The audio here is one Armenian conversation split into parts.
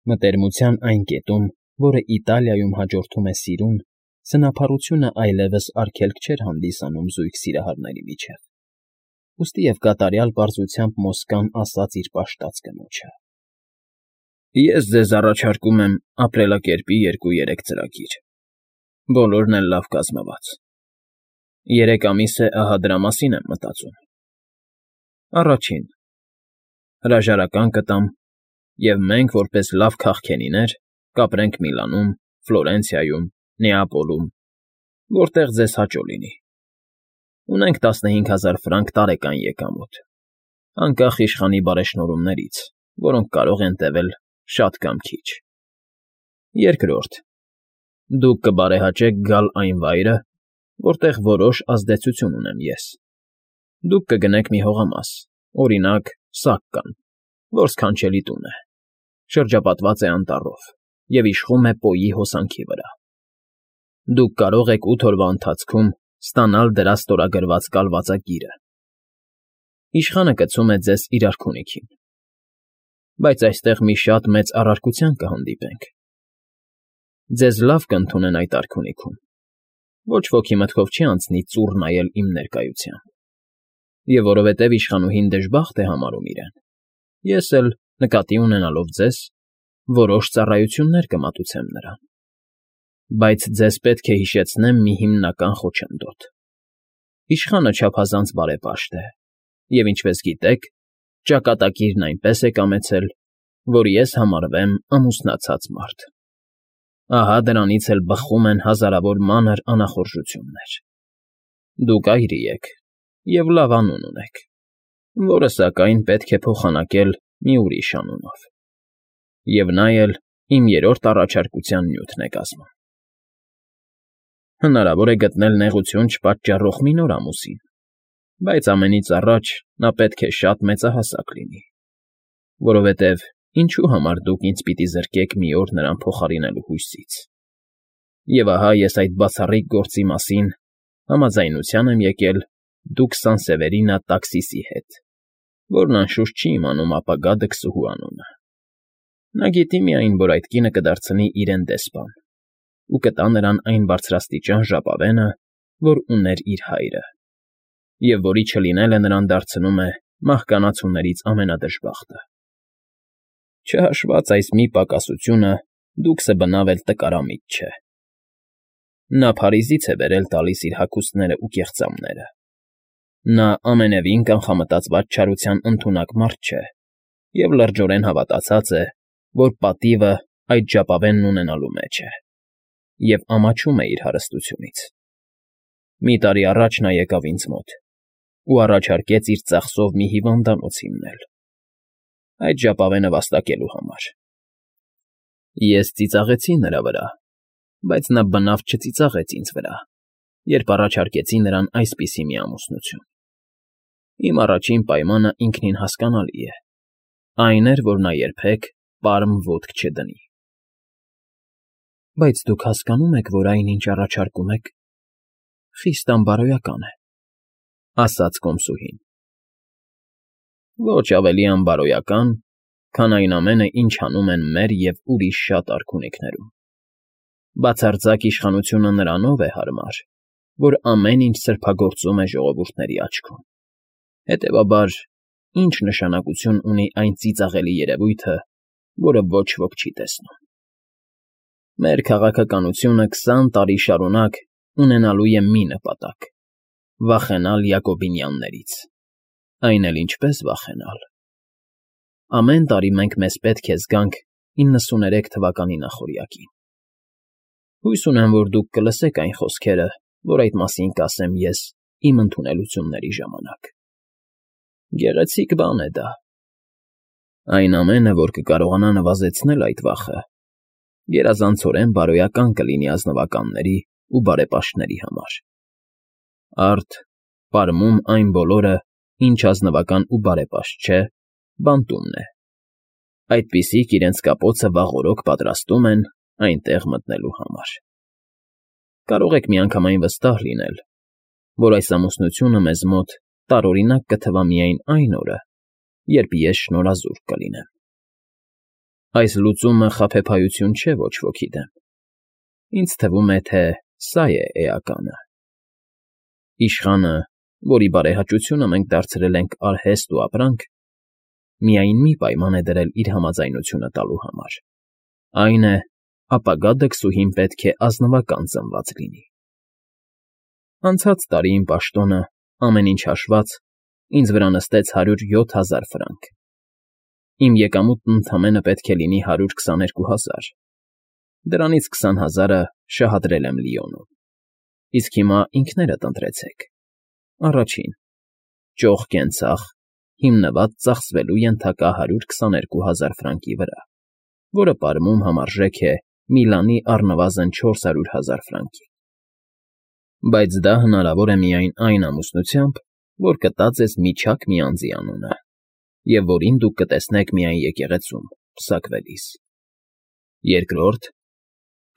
Մտերմության այն կետում, որը Իտալիայում հաջորդում է սիրուն, սնափառությունը այլևս արգելք չէր հանդիսանում զույգ սիրահարների միջև, ուստի և կատարյալ պարզությամբ Մոսկան ասաց իր պաշտած կնոջը. «Ես ձեզ առաջարկում եմ ապրելակերպի 2-3 ծրագիր, բոլորն էլ լավ կազմված. 3 ամիս է ահա դրա մասին եմ մտածում. Առաջին՝ հրաժարական կտամ, և մենք, որպես լավ քաղքենիներ, կապրենք Միլանում, Ֆլորենցիայում, Նեապոլում, որտեղ ձեզ հաճո լինի. ունենք 15,000 ֆրանկ տարեկան եկամուտ, անկախ իշխանի բարեշնորհումներից, որոնք կարող են տևել շատ կամ քիչ։ Երկրորդ՝ դուք կբարեհաճեք գալ այն վայրը, որտեղ որոշ ազդեցություն ունեմ ես. դուք կգնեք մի հողամաս, օրինակ, Սակկան, որ սքանչելի տուն է, շրջապատված է անտառով և իշխում է Պոյի հոսանքի վրա։ Դուք կարող եք 8 օրվա ընթացքում ստանալ դրա ստորագրված կալվածագիրը։ Իշխանը կցում է ձեզ իր արքունիքին։ Բայց այստեղ մի շատ մեծ առարկության կհանդիպենք. ձեզ լավ կընդունեն այդ արքունիքում, ոչ ոքի մտքով չի անցնի ծուռ նայել իմ ներկայությամբ, և որովհետև իշխանուհին դժբախտ է համարում իրեն, ես էլ, նկատի ունենալով ձեզ, որոշ ծառայություններ կմատուցեմ նրան։ Բայց ձեզ պետք է հիշեցնեմ մի հիմնական խոչընդոտ. իշխանը չափազանց բարեպաշտ է, և, ինչպես գիտեք, ճակատագիրն այնպես է կամեցել, որ ես համարվեմ ամուսնացած մարդ։ Ահա դրանից էլ բխում են հազարավոր մանր անախորժություններ։ Դուք այրի եք և լավ անուն ունեք, որը, սակայն, պետք է փոխանակել մի ուրիշ անունով։ Եվ նա էլ իմ 3-րդ առաջարկության նյութն է կազմում։ Հնարավոր է գտնել նեղություն չպատճառող մի նոր ամուսին, բայց ամենից առաջ նա պետք է շատ մեծահասակ լինի, որովհետև ինչու համար դուք ինձ պիտի զրկեք մի օր նրան փոխարինելու հույսից։ Եվ ահա ես այդ բացառիկ գործի մասին համաձայնության եմ եկել դուք Սանսևերինա Տաքսիսի հետ, որն անշուշտ չի իմանում ապագա դքսուհու անունը։ Նա գիտի միայն, որ այդ կինը կդարձնի իրեն դեսպան ու կտա նրան այն բարձրաստիճան ժապավենը, որ ուներ իր հայրը, և որի չլինելը նրան դարձնում է մահկանացուներից ամենադժբախտը։ Չհաշված այս մի պակասությունը, դուքսը բնավ էլ տկարամիտ չէ։ Նա Փարիզից է բերել տալիս իր հագուստներն ու կեղծամները։ Նա ամենևին կանխամտածված չարության ընդունակ մարդ չէ և լրջորեն հավատացած է, որ պատիվը այդ ժապավենն ունենալու մեջ է, և ամաչում է իր հարստությունից։ Մի տարի առաջ նա եկավ ինձ մոտ ու առաջարկեց իր ծախսով մի հիվանդանոց հիմնել, այդ ժապավենը վաստակելու համար։ Ես ծիծաղեցի նրա վրա, բայց նա բնավ չծիծաղեց ինձ վրա, երբ առաջարկեցի նրան այսպիսի մի ամուսնություն։ Իմ առաջին պայմանը ինքնին հասկանալի է, այն էր, որ նա երբեք պարմ ոտք չդնի։ Բայց դուք հասկանո՞ւմ եք, որ այն, ինչ առաջարկում եք, խիստ անբարոյական է, ասաց կոմսուհին։ Ոչ ավելի անբարոյական, քան այն ամենը, ինչ անում են մեր և ուրիշ շատ արքունիքներում։ Բացարձակ իշխանությունը նրանով է հարմար, որ ամեն ինչ սրբագործում է ժողովուրդների աչքում։ Հետևաբար, ինչ նշանակություն ունի այն ծիծաղելի երևույթը, որը ոչ ոք չի տեսնում։ Մեր քաղաքականությունը 20 տարի շարունակ ունենալու է մի նպատակ՝ վախենալ Յակոբինյաններից։ Այն էլ ինչպես վախենալ։ Ամեն տարի մենք մեզ պետք է զգանք 93 թվականի նախօրյակին։ Հույս ունեմ, որ դուք կլսեք այն խոսքերը, որ այդ մասին կասեմ ես իմ ընդունելությունների ժամանակ։ Գեղեցիկ բան է դա։ Այն ամենը, որ կկարողանա նվազեցնել այդ վախը, գերազանցորեն բարոյական կլինի ազնվականների ու բարեպաշտների համար։ Արդ, պարմում այն բոլորը, ինչ ազնվական ու բարեպաշտ չէ, բանտումն է։ Այդպիսիք իրենց կապոցը վաղօրոք պատրաստում են այնտեղ մտնելու համար։ Կարող եք միանգամայն վստահ լինել, որ այս ամուսնությունը մեզ մոտ տարօրինակ կթվա միայն այն օրը, երբ ես շնորհազուրկ կլինեմ։ Այս լուծումը խաբեբայություն չէ ոչ ոքի դեմ։ Ինձ թվում է, թե սա է էականը։ Իշխանը, որի բարեհաճությունը մենք դարձրել ենք արհեստ ու ապրանք, միայն մի պայման է դրել իր համաձայնությունը տալու համար. այն է, ապագա դքսուհին պետք է ազնվական ծնված լինի։ Անցած տարի իմ պաշտոնը, ամեն ինչ հաշված, ինձ վրա նստեց 107,000 ֆրանկ։ Իմ եկամուտն ընդամենը պետք է լինի 122,000։ Դրանից 20,000-ը շահադրել եմ Լիոնում։ Իսկ հիմա ինքներդ ընտրեցեք։ Առաջին՝ ճոխ կենցաղ, հիմնված ծախսվելու ենթակա 122,000 ֆրանկի վրա, որը պարմում համարժեք է Միլանի առնվազն 400,000 ֆրանկի։ Բայց դա հնարավոր է միայն այն ամուսնությամբ, որ կտա ձեզ միջակ մի անձի անունը, և որին դուք կտեսնեք միայն եկեղեցում, պսակվելիս։ Երկրորդ՝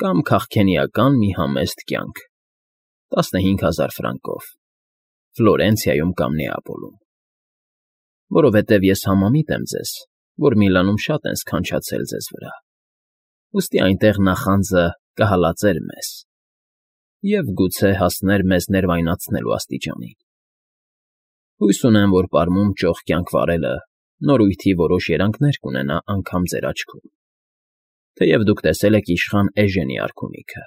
կամ քաղքենիական մի համեստ կյանք, 15,000 ֆրանկով, Ֆլորենցիայում կամ Նեապոլում։ Որովհետև ես համամիտ եմ ձեզ, որ Միլանում շատ են սքանչացել ձեզ վրա, ուստի այնտեղ նախանձը կհալածեր մեզ և գուցե հասներ մեզ ներվայնացնելու աստիճանին։ Հույս ունեմ, որ պարմում ճոխ կյանք վարելը նորույթի որոշ երանգներ կունենա անգամ ձեր աչքում, թեև դուք տեսել եք իշխան Էժենի արքունիքը։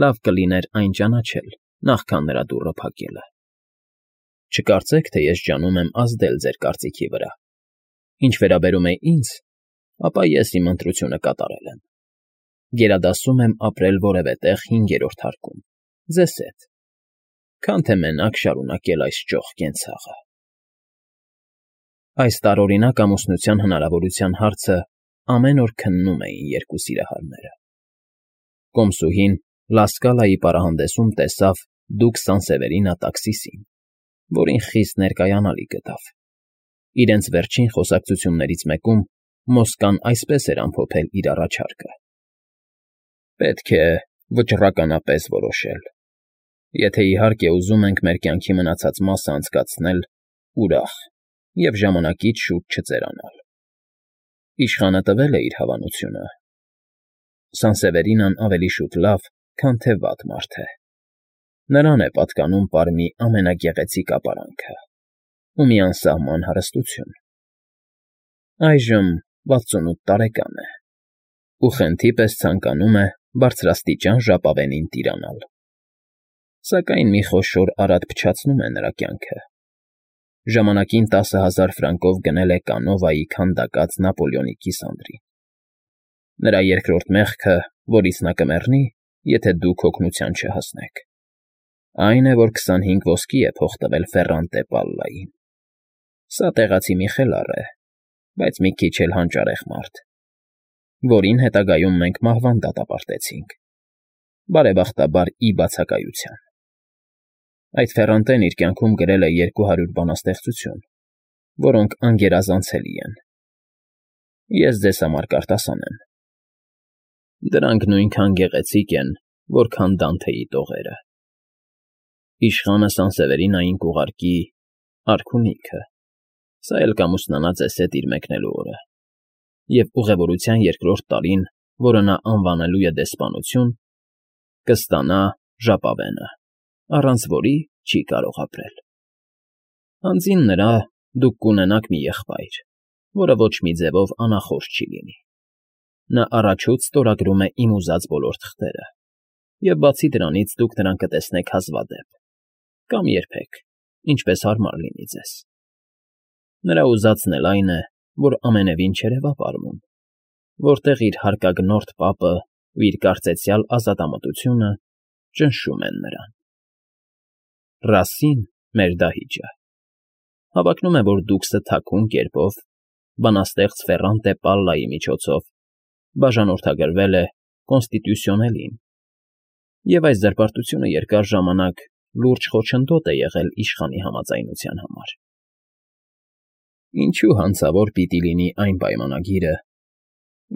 Լավ կլիներ այն ճանաչել, նախքան նրա դուռը փակելը։ Չկարծեք, թե ես ջանում եմ ազդել ձեր կարծիքի վրա։ Ինչ վերաբերում է ինձ, ապա ես իմ ընտրությունը կատարել եմ։ Գերադասում եմ ապրել որևէ տեղ 5-րդ հարկում, ձեզ հետ, քան թե մենակ շարունակել այս ճոխ կենցաղը։ Այս տարօրինակ ամուսնության հնարավորության հարցը ամեն օր քննում էին երկու սիրահարները։ Կոմսուհին Լասկալայի պարահանդեսում տեսավ դուք Սանսևերինա տաքսիսին, որին խիստ ներկայանալի գտավ։ Իրենց վերջին խոսակցություններից մեկում Մոսկան այսպես էր ամփոփել իր առաջարկը. պետք է վճռականապես որոշել։ Եթե իհարկե ուզում ենք մեր կյանքի մնացած մասը անցկացնել ուրախ և ժամանակից շուտ չծերանալ։ Իշխանը տվել է իր հավանությունը։ Սանսևերինան ավելի շուտ լավ, քան թե վատ մարդ է։ Նրան է պատկանում պարմի ամենագեղեցիկ ապարանքը ու մի անսահման հարստություն։ Այժմ 68 տարեկան է ու խենթի պես ցանկանում է բարձրաստիճան ժապավենին տիրանալ։ Սակայն մի խոշոր արատ փչացնում է նրա կյանքը։ Ժամանակին 10,000 ֆրանկով գնել է Կանովայի քանդակած Նապոլեոնի կիսանդրին։ Նրա երկրորդ մեղքը, որից նա կմեռնի, եթե դուք օգնության չհասնեք, այն է, որ 25 ոսկի է փող տվել Ֆերրանտե Պալլային։ Սա տեղացի մի խելառ է, բայց մի քիչ էլ հանճարեղ մարդ, որին հետագայում մենք մահվան դատապարտեցինք, բարեբախտաբար ի բացակայության։ Այդ Ֆերրանտեն իր կյանքում գրել է 200 բանաստեղծություն, որոնք անգերազանցելի են։ Ես ձեզ համար կարտասանեմ։ Դրանք նույնքան գեղեցիկ են, որքան Դանթեի տողերը։ Իշխանը Սանսևերինային կուղարկի արքունիքը, սա էլ կամուսնանա ձեզ հետ իր մեկնելու օրը, և ուղևորության երկրորդ տարին, որը նա անվանելու է դեսպանություն, կստանա ժապավենը, առանց որի չի կարող ապրել։ Հանձին նրա դուք կունենաք մի եղբայր, որը ոչ մի ձևով անախորժ չի լինի։ Նա առաջուց ստորագրում է իմ ուզած բոլոր թղթերը, և բացի դրանից դուք նրան կտեսնեք հազվադեպ, կամ երբեք, ինչպես հարմար լինի ձեզ։ Նրա ուզածն էլ այն է, որ ամենևին չերևա պարմում, որտեղ իր հարկագնորդ պապը ու իր կարծեցյալ ազատամտությունը ճնշում են նրան։ Ռասին, մեր դահիճը, հավակնում է, որ դուքսը թաքուն կերպով, բանաստեղծ Ֆերրանտե Պալլայի միջոցով բաժանորդագրվել է Կոնստիտուսիոնելին, և այս զրպարտությունը երկար ժամանակ լուրջ խոչընդոտ է եղել իշխանի համաձայնության համար։ Ինչու հանցավոր պիտի լինի այն պայմանագիրը,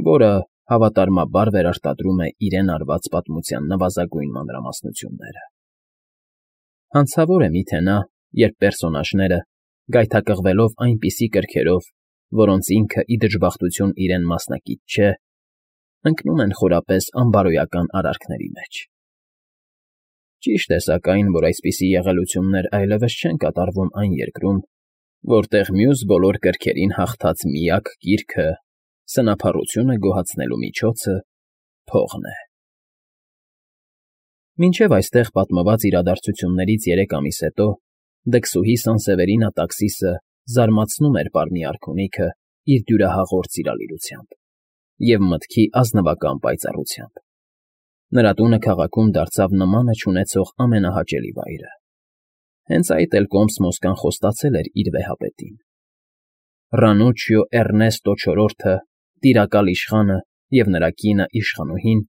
որը հավատարմաբար վերարտադրում է իրեն արված պատմության նվազագույն մանրամասնությունները։ Հանցավոր է միթե նա, երբ պերսոնաժները, գայթակղվելով այնպիսի կրքերով, որոնց ինքը ի դժբախտություն իրեն մասնակից չէ, ընկնում են խորապես անբարոյական արարքների մեջ։ Ճիշտ է սակայն, որ այսպիսի եղելություններ այլևս չեն կատարվում այն երկրում, որտեղ մյուս բոլոր կրքերին հաղթած միակ գիրքը, սնափառությունը գոհացնելու միջոցը փողն է։ Մինչև այստեղ պատմված իրադարձություններից 3 ամիս հետո դքսուհի Սանսևերինա տաքսիսը զարմացնում էր պարմի արքունիքը իր դյուրահաղորդ սիրալիրությամբ և մտքի ազնվական պայծառությամբ։ Նրա տունը քաղաքում դարձավ նմանը չունեցող ամենահաճելի վայրը։ Հենց այդ էլ Կոմս֊Մոսկան խոստացել էր իր վեհապետին։ Ռանուչիո Էռնեստո չորրորդը, տիրակալ իշխանը և նրա կինը իշխանուհին,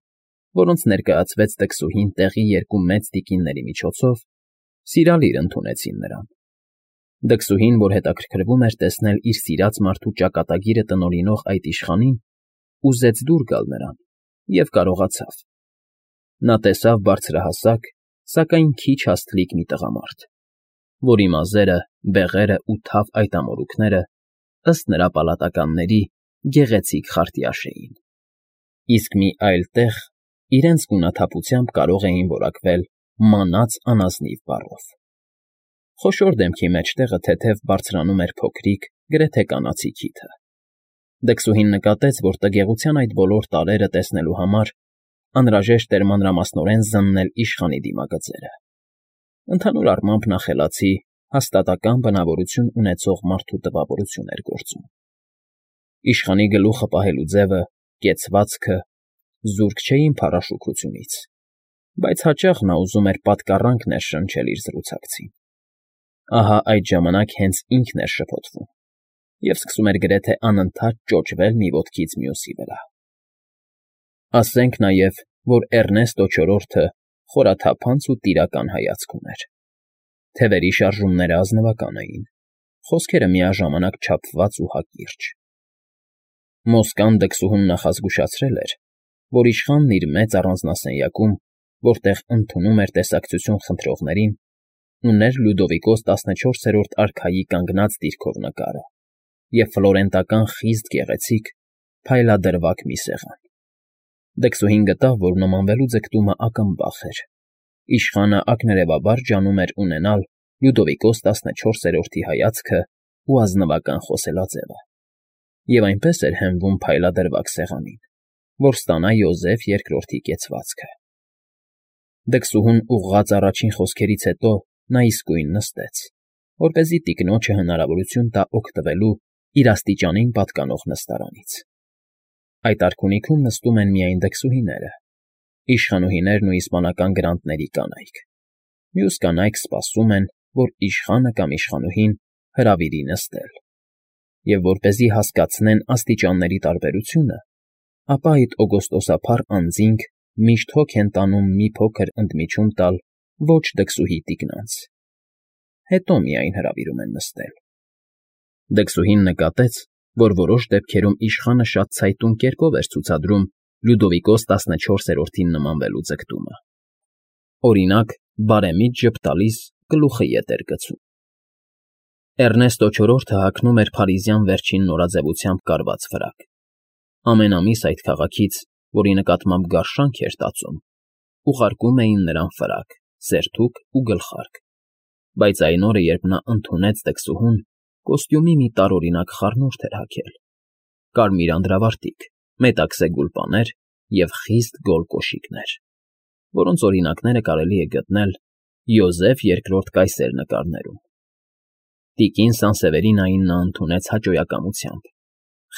որոնց ներկայացվեց դքսուհին տեղի 2 մեծ տիկինների միջոցով, սիրալիր ընդունեցին նրան։ Դքսուհին, որ հետաքրքրվում էր տեսնել իր սիրած մարդու ճակատագիրը տնօրինող այդ իշխանին, ուզեց դուր գալ նրան և կարողացավ։ Նա տեսավ բարձրահասակ, սակայն քիչ հաստլիկ մի տղամարդ, որի մազերը, բեղերը ու թավ այտամորուքները, ըստ նրա պալատականների, գեղեցիկ խարտյաշ էին, իսկ մի այլ տեղ իրենց գունաթափությամբ կարող էին որակվել մանած անազնիվ բառով։ Խոշոր դեմքի մեջտեղը թեթև բարձրանում էր փոքրիկ, գրեթե կանացի քիթը։ Դքսուհին նկատեց, որ տգեղության այդ բոլոր տարրերը տեսնելու համար անհրաժեշտ էր մանրամասնորեն զննել իշխանի դիմագծերը։ Ընդհանուր առմամբ նա խելացի, հաստատակամ բնավորություն ունեցող մարդու տպավորություն էր գործում։ Իշխանի գլուխը պահելու ձևը, կեցվածքը զուրկ չէին փառաշուքությունից, բայց հաճախ նա ուզում էր պատկառանք ներշնչել իր զրուցակցին։ Ահա այդ ժամանակ հենց ինքն էր շփոթվում և սկսում էր գրեթե անընդհատ ճոճվել մի ոտքից մյուսի վրա։ Ասենք նաև, որ Էռնեստո չորրորդը խորաթափանց ու տիրական հայացք ուներ։ Թևերի շարժումները ազնվական էին, խոսքերը միաժամանակ չափված ու հակիրճ։ Մոսկան դքսուհուն նախազգուշացրել էր, որ իշխանն իր մեծ առանձնասենյակում, որտեղ ընդունում էր տեսակցություն խնդրողներին, ուներ Լյուդովիկոս 14-րդ արքայի կանգնած դիրքով նկարը և ֆլորենտական խիստ գեղեցիկ, փայլադրվակ մի սեղան։ Դքսուհին գտավ, որ նմանվելու ձգտումը ակնբախ էր։ Իշխանը ակներևաբար ջանում էր ունենալ Լյուդովիկոս 14-րդի հայացքը ու ազնվական խոսելաձևը, և այնպես էր հենվում փայլադրվակ սեղանին, որ ստանա Յոզեֆ II-ի կեցվածքը։ Դքսուհուն ուղղած առաջին խոսքերից հետո նա իսկույն նստեց, որպեսզի տիկնոջը հնարավորություն տա օգտվելու իր աստիճանին պատկանող նստարանից։ Այդ արքունիքում նստում են միայն դքսուհիները, իշխանուհիներն ու իսպանական գրանտների կանայք։ Մյուս կանայք սպասում են, որ իշխանը կամ իշխանուհին հրավիրի նստել։ Եվ որպեսզի հասկացնեն աստիճանների տարբերությունը, ապա այդ օգոստոսափառ անձինք միշտ հոգ են տանում մի փոքր ընդմիջում տալ ոչ դքսուհի տիկնանց, հետո միայն հրավիրում են նստել։ Դքսուհին նկատեց, որ որոշ դեպքերում իշխանը շատ ցայտուն կերպով էր ցուցադրում Լյուդովիկոս 14-րդին նմանվելու ձգտումը։ Օրինակ, բարեմիտ ժպտալիս գլուխը ետ էր գցում։ Էռնեստո չորրորդը հագնում էր փարիզյան վերջին նորաձևությամբ կարված ֆրակ։ Ամեն ամիս այդ քաղաքից, որի նկատմամբ գարշանք էր տածում, ուղարկում էին նրան ֆրակ, սերթուկ ու գլխարկ, բայց այն օրը, երբ նա ընդունեց դքսուհուն, կոստյումի մի տարօրինակ խառնուրդ էր հագել՝ կարմիր անդրավարտիք, մետաքսե գուլպաներ և խիստ գոլ կոշիկներ, որոնց օրինակները կարելի է գտնել Յոզեֆ II կայսեր նկարներում։ Տիկին Սանսևերինային նա ընդունեց հաճոյակամությամբ,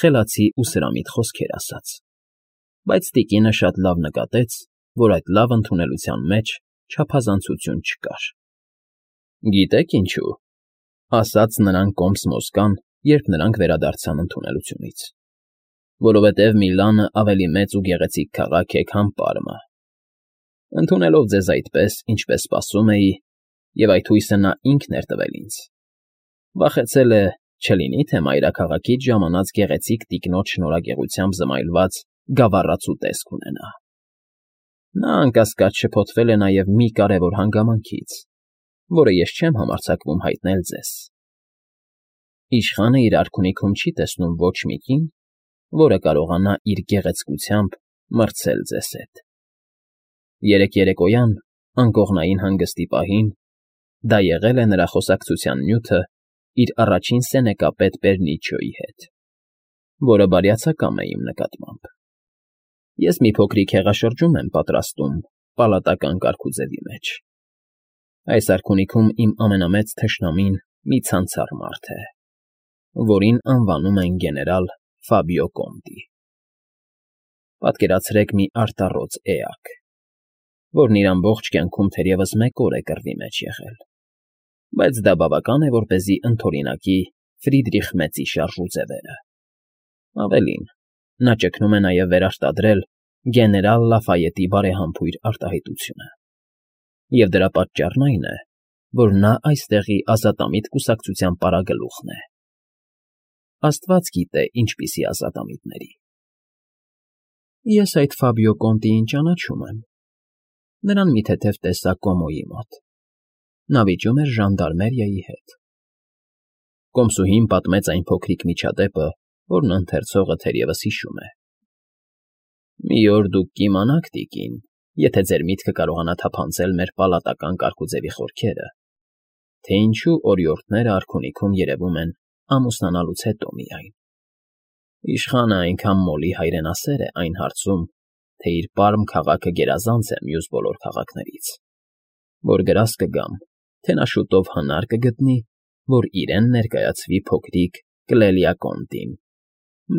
խելացի ու սրամիտ խոսքեր ասաց, բայց տիկինը շատ լավ նկատեց, որ այդ լավ ընդունելության մեջ չափազանցություն չկար։ Գիտե՞ք ինչու,֊ ասաց նրան Կոմս֊Մոսկան, երբ նրանք վերադարձան ընդունելությունից,֊ որովհետև Միլանը ավելի մեծ ու գեղեցիկ քաղաք է, քան Պարմը։ Ընդունելով ձեզ այդպես, ինչպես սպասում էի, և այդ հույսը նա ինքն էր տվել ինձ, վախեցել է, չլինի թե մայրաքաղաքից ժամանած գեղեցիկ տիկնոջ շնորհագեղությամբ զմայլված գավառացու տեսք ունենա։ Նա անկասկած շփոթվել է նաև մի կարևոր հանգամանքից, որը ես չեմ համարձակվում հայտնել ձեզ։ Իշխանը իր արքունիքում չի տեսնում ոչ մի կին, որը կարողանա իր գեղեցկությամբ մրցել ձեզ հետ։ Երեկ երեկոյան, անկողնային հանգստի պահին, դա եղել է նրա խոսակցության նյութը իր առաջին սենեկապետ Բերնիչոյի հետ, որը բարյացակամ է իմ նկատմամբ։ Ես մի փոքրիկ հեղաշրջում եմ պատրաստում պալատական կարգուձևի մեջ։ Այս արքունիքում իմ ամենամեծ թշնամին մի ցանցառ մարդ է, որին անվանում են գեներալ Ֆաբիո Կոնտի։ Պատկերացրեք մի արտառոց էակ, որն իր ամբողջ կյանքում թերևս մեկ օր է կռվի մեջ եղել, բայց դա բավական է, որպեսզի ընդօրինակի Ֆրիդրիխ Մեծի շարժուձևերը։ Ավելին, նա ճգնում է նաև վերարտադրել գեներալ Լաֆայետի բարեհամբույր արտահայտությունը։ Եվ դրա պատճառն այն է, որ նա այստեղի ազատամիտ կուսակցության պարագլուխն է։ Աստված գիտե ինչպիսի ազատամիտների։ Ես այդ Ֆաբիո Կոնտիին ճանաչում եմ։ Նրան մի թեթև տեսա Կոմոյի մոտ։ Նա վիճում էր ժանդարմերիայի հետ։ Կոմսուհին պատմեց այն փոքրիկ միջադեպը, որն ընթերցողը թերևս հիշում է։ Մի օր դուք կիմանաք, տիկին, եթե ձեր միտքը կարողանա թափանցել մեր պալատական կարգուձևի խորքերը, թե ինչու օրիորդները արքունիքում երևում են ամուսնանալուց հետո միայն։ Իշխանը այնքան մոլի հայրենասեր է այն հարցում, թե իր պարմ քաղաքը գերազանց է մյուս բոլոր քաղաքներից, որ գրազ կգամ, թե նա շուտով հնար կգտնի, որ իրեն ներկայացվի փոքրիկ Կլելիա Կոնտին,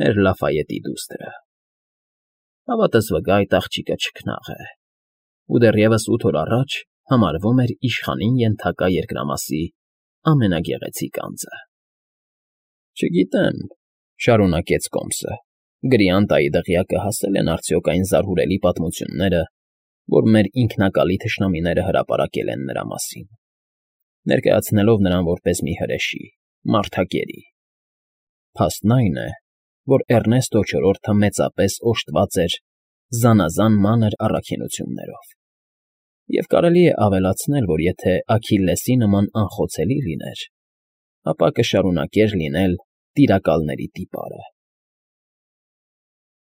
մեր Լաֆայետի դուստրը։ Հավատս վկա, այդ աղջիկը չքնաղ է, ու դեռևս 8 օր առաջ համարվում էր իշխանին ենթակա երկրամասի ամենագեղեցիկ անձը։ Չգիտեմ, շարունակեց Կոմսը, Գրիանտայի դղյակը հասել են արդյոք այն զարհուրելի պատմությունները, որ մեր ինքնակալի թշնամիները հրապարակել են նրա մասին, ներկայացնելով նրան որպես մի հրեշի, մարդակերի։ Փաստն այն է, որ Էռնեստո IV-ը մեծապես օժտված էր զանազան մանր առաքինություններով, և կարելի է ավելացնել, որ եթե Աքիլլեսի նման անխոցելի լիներ, ապա կշարունակեր լինել տիրակալների տիպարը։